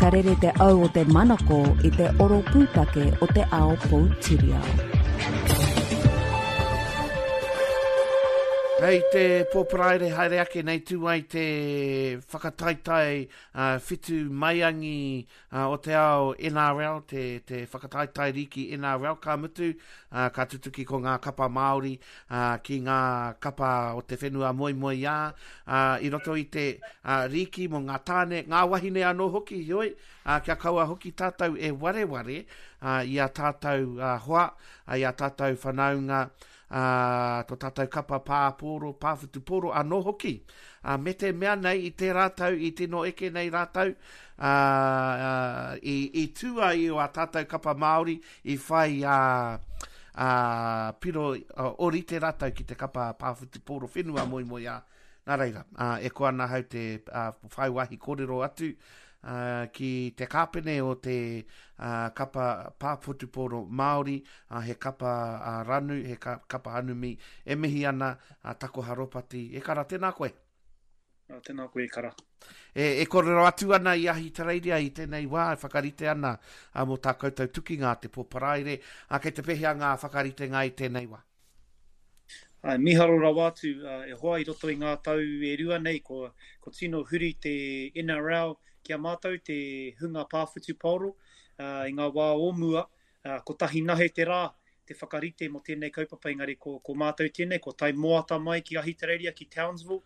Ka rere te au o te manako i te oro pūtake o te ao poutiriao. Hei te pō Paraire haere ake nei tū ai te whakataetae whitu maiangi o te ao NRL, te, te whakataetae rīki NRL, ka mutu, ka tutuki ko ngā kapa Māori ki ngā kapa o te whenua moemoeā i roto i te rīki mō ngā tāne, ngā wahine anō hoki, heoi, kia kaua hoki tātou e wareware i a tātou hoa, i a tātou whanaunga, ā, tō tātou kapa pā pōro, pā whutupōro anō hoki. Ā, me te mea nei i tērā tau i tino eke nei rātou, ā, ā, i, i tū ai o ā tātou kapa Māori i whai ā, ā, piro ōrite rātou ki te kapa pā whutupōro whenua moemoeā. Nā reira, ā, e koa ana ahau te ā, whai wāhi kōrero atu ā, ki te kāpene o te ā, kapa pā whutupōro Māori, ā, he kapa ā, ranu, he ka, kapa hanumi, e mihi ana a Takoha Ropati. E kara, tēnā koe. Ā, tēnā koe e kara. E, e kōrero atu ana i Ahitereiria i tēnei wā, e whakarite ana ā, mō tā koutou tukinga a te pō Paraire. Ā, kei te pēhea ngā whakaritenga i tēnei wā? Āe, mīharo rawa atu e hoa i roto i ngā tau e rua nei kua, kua tino huri te NRL ki a mātou te hunga pā whutupaoro i ngā wā o mua, kotahi nahe te rā te whakarite mō tēnei kaupapa engari ko, ko mātou tēnei kua tae moata mai ki Ahitereiria, ki Townsville,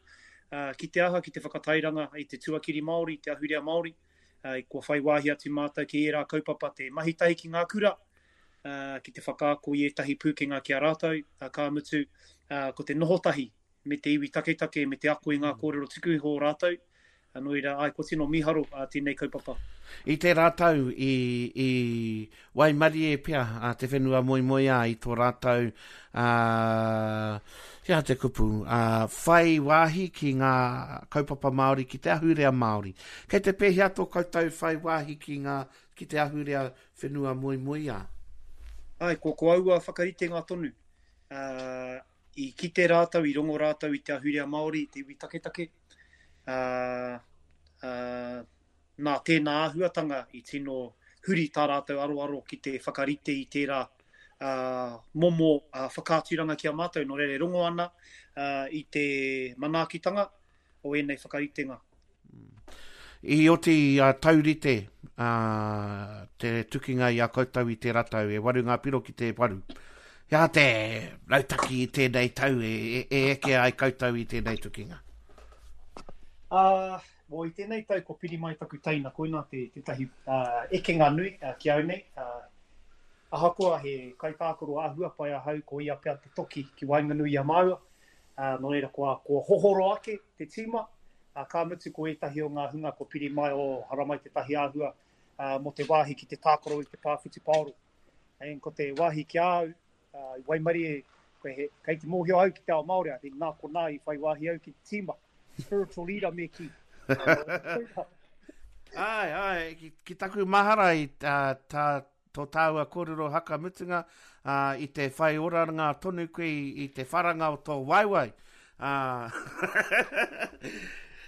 ki te aha, ki te whakatairanga i te tuakiri Māori, te ahurea Māori, kua whai wāhi atu mātou ki ērā kaupapa te mahi tahi ki ngā kura, ki te whakaako i ētahi pūkenga ki a rātou, ka mutu, ko te noho tahi me te iwi taketake me te ako i ngā kōrero tuku iho o rātou, nō reira, āe, kua tino mīharo tēnei kaupapa. I tērā tau i, i waimarie pea a te whenua moemoeā i tō rātou, ā, he aha te kupu, ā, whai wāhi ki ngā kaupapa Māori, ki te ahurea Māori. Kei te pēhea tō koutou whai wāhi ki ngā, ki te ahurea whenua moemoeā. Āe, ko, ko aua whakaritenga tonu. Ā, i kite rātou, i rongo rātou i te ahurea Māori, i te iwi taketake. Ā, ā, nā tēnā āhuatanga i tino huri tā rātou aroaro ki te whakarite i tērā ā, momo ā, whakaaturanga ki a mātou. Nō reira e rongo ana ā, i te manaakitanga o ēnei whakaritenga. I oti a Taurite te tukinga i a koutou i tērā tau, e waru ngā piro ki te waru. He aha te rautaki i tēnei tau e, e, e eke ai koutou i tēnei tukinga? Uh, well, i tēnei tau ko piri mai taku teina, koina te, tētahi uh, ekenga nui uh, ki au nei. Uh, ahakoa he kaitākaro āhua pai ahau, ko ia pea te toki ki waenganui i a māua. Uh, nō reira, kua, kua hohoro ake te tīma, ā, ka mutu ko ētahi o ngā hunga kua piri mai, oh, haramai tētahi āhua mō te wāhi ki te tākaro i te pā whutupaoro. And ko te wāhi ki a au, i waimarie, koe he, kei te mōhio au ki te ao Māori, I think nā konā i whai wāhi au ki te tīma. Spiritual leader me kī. Āe, āe, ki, ki taku mahara i tā, tā Tō tāua kōrero haka mutunga, ā, i te whai oranga tonu koe i, i te wharanga o tō waewae. Ā,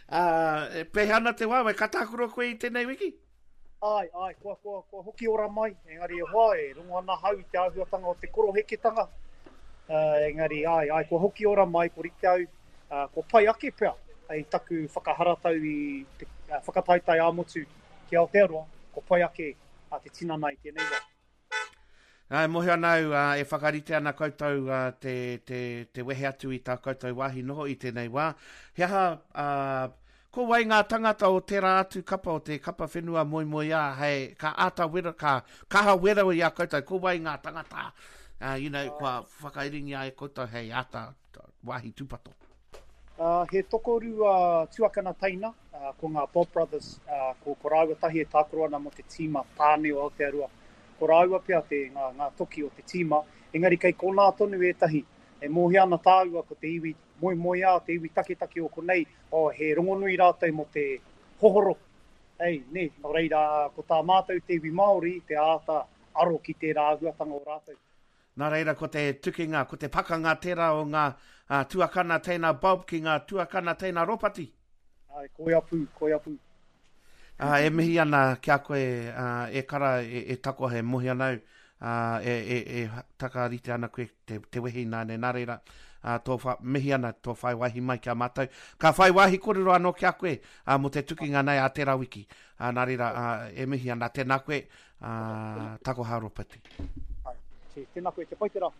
ā, e pēhea ana te waewae? Ka tākaro koe i tēnei wiki? Āe, āe, kua, kua, kua hoki ora mai, engari e hoa, e rongo ana ahau i te āhuatanga o te koroheketanga. Ā, engari, āe, āe, kua hoki ora mai, kua rite au, ā, kua pai ake pea i taku whakaharatau i te whakataetae ā-motu ki Aotearoa, kua pai ake a te tinana i tēnei wā. Ā, e mōhio ana au, ā, e whakarite ana koutou ā, te, te, te wehe atu i tā koutou wāhi noho i tēnei wā. He aha, ā, ko wai ngā tangata o tērā atu kapa, o te kapa whenua moemoeā, hei, ka āta wero, ka kaha wero i a koutou, ko wai ngā tangata, ā, you know, kua whakairingia e koutou hei āta wāhi tūpato? He tokorua tuakana teina, ko ngā Bob Brothers, ko, ko rāua tahi e tākaro ana mō te tīma tāne o Aotearoa. Ko rāua pea te, ngā, ngā toki o te tīma, engari kei konā tonu ētahi. E mōhio ana tāua ko te iwi moemoeā, te iwi taketake o konei, oh, he rongonui rātou mō te hohoro. Ei, nē, nō reira, ko tā mātou te iwi Māori, te āta aro ki tērā āhuatanga o rātou. Nā reira ko te tukinga, ko te pakanga tērā o ngā tuakana teina Bob ki ngā tuakana teina Ropati. Āe, koia pū, koia pū. E mihi ana ki a koe, e kara, e, e takoha, e mohi ana au, e, e, e takarite ana koe te, te wehi nāne. Nā reira, tō wha, mihi ana tō whai wāhi mai ki a mātou. Ka whai wāhi kōrero anō ki a koe mō te tukinga nei a tērā wiki. Nā reira, e mihi ana, tēnā koe, takoha Ropati. Tēnā koe, kia pai te rā.